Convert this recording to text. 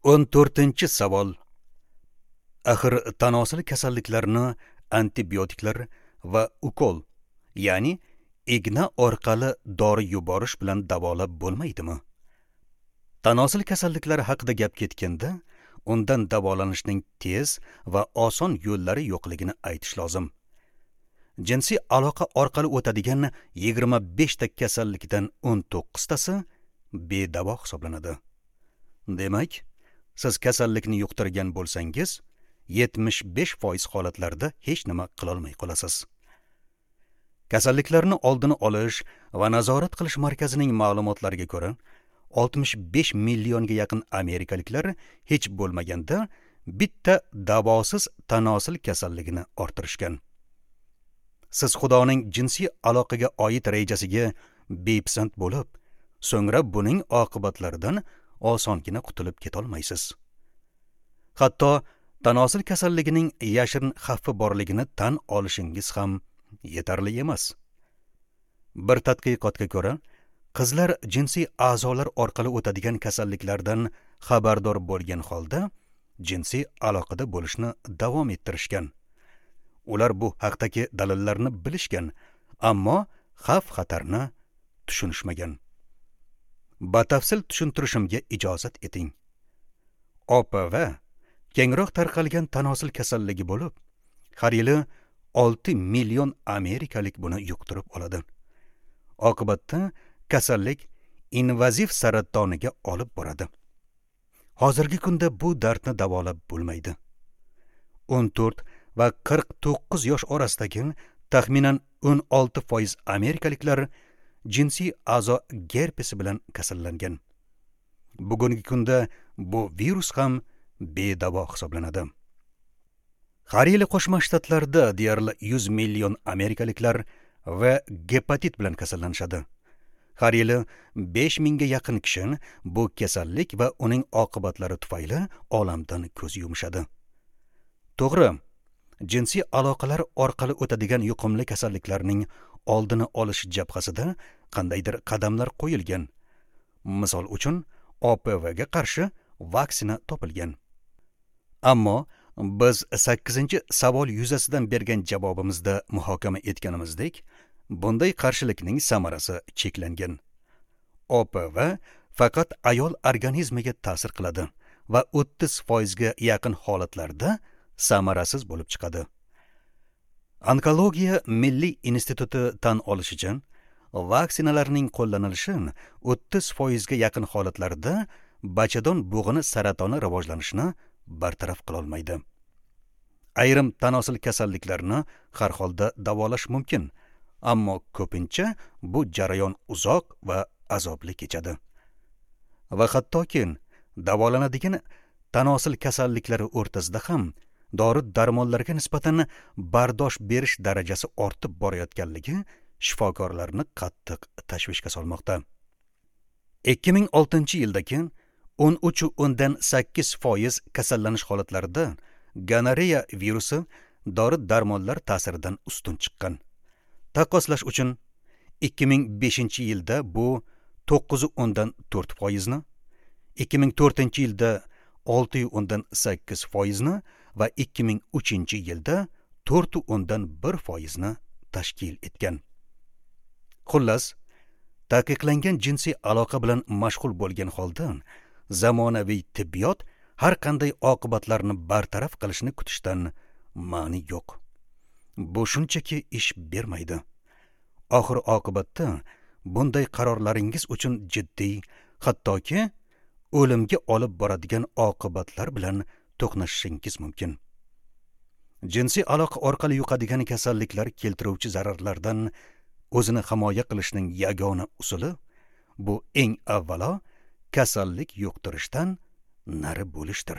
14-savol. Axir tanosil kasalliklarini antibiotiklar va ukol, ya'ni igna orqali dori yuborish bilan davolab bo'lmaydimi? Tanosil kasalliklari haqida gap ketganda, undan davolanishning tez va oson yo'llari yo'qligini aytish lozim. Jinsiy aloqa orqali o'tadigan 25 ta kasallikdan 19 tasi bedavo hisoblanadi. Demak, siz kasallikni yuqtirgan bo'lsangiz, 75% holatlarda hech nima qilolmay qolasiz. Kasalliklarni oldini olish va nazorat qilish markazining ma'lumotlariga ko'ra, 65 millionga yaqin amerikaliklar hech bo'lmaganda bitta davosiz tanosil kasalligini orttirishgan. Siz Xudoning jinsiy aloqaga oid rejasiga bepisand bo'lib, so'ngra buning oqibatlaridan osongina qutulib ketolmaysiz. Hatto tanosil kasalligining yashirin xavfi borligini tan olishingiz ham yetarli emas. Bir tadqiqotga ko'ra, qizlar jinsiy a'zolar orqali o'tadigan kasalliklardan xabardor bo'lgan holda jinsiy aloqada bo'lishni davom ettirishgan. Ular bu haqdagi dalillarni bilishgan, ammo xavf-xatarni tushunishmagan. Batafsil tushuntirishimga ijozat eting. OPV kengroq tarqalgan tanosil kasalligi bo'lib, har yili 6 million amerikalik buni yuqtirib oladi. Oqibatda kasallik invaziv saratoniga olib boradi. Hozirgi kunda bu dardni davolab bo'lmaydi. 14 va 49 yosh orasidagi taxminan 16% amerikaliklar jinsiy a'zo gerpesi bilan kasallangan. Bugungi kunda bu virus ham bedavo hisoblanadi. Har yili Qo'shma Shtatlarda deyarli 100 million amerikaliklar va gepatit bilan kasallanishadi. Har yili 5 mingga yaqin kishi bu kasallik va uning oqibatlari tufayli olamdan ko'z yumishadi. To'g'ri, jinsiy aloqalar orqali o'tadigan yuqumli kasalliklarning oldini olish jabhasida qandaydir qadamlar qo'yilgan. Misol uchun, OPV ga qarshi vaksina topilgan. Ammo biz 8-savol yuzasidan bergan javobimizda muhokama etganimizdek, bunday qarshilikning samarasi cheklangan. OPV faqat ayol organizmiga ta'sir qiladi va 30% ga yaqin holatlarda samarasiz bo'lib chiqadi. Onkologiya Milliy instituti tan olishicha, vaksinalarning qo'llanilishi 30% ga yaqin holatlarda bachadon bo'g'ini saratoni rivojlanishini bartaraf qila olmaydi. Ayrim tanosil kasalliklarini har holda davolash mumkin, ammo ko'pincha bu jarayon uzoq va azobli kechadi. Va hattoki davolanadigan tanosil kasalliklari o'rtasida ham dori-darmonlarga nisbatan bardosh berish darajasi ortib borayotganligi shifokorlarni qattiq tashvishga solmoqda. 2006-yildagi 13.8% kasallanish holatlarida gonoreya virusi dori-darmonlar ta'siridan ustun chiqqan. Taqqoslash uchun 2005-yilda bu 9.4%ni, 2004-yilda 6.8%ni va 2003-yilda 4.1%ni tashkil etgan. Xullas, taqiqlangan jinsiy aloqa bilan mashg'ul bo'lgan holda zamonaviy tibbiyot har qanday oqibatlarni bartaraf qilishni kutishdan ma'ni yo'q. Bu shunchaki ish bermaydi. Oxir oqibatda bunday qarorlaringiz uchun jiddiy, hattoki o'limga olib boradigan oqibatlar bilan to'qnashishingiz mumkin. Jinsiy aloqa orqali yuqadigan kasalliklar keltiruvchi zararlardan o'zini himoya qilishning yagona usuli bu eng avvalo kasallik yuqtirishdan nari bo'lishdir.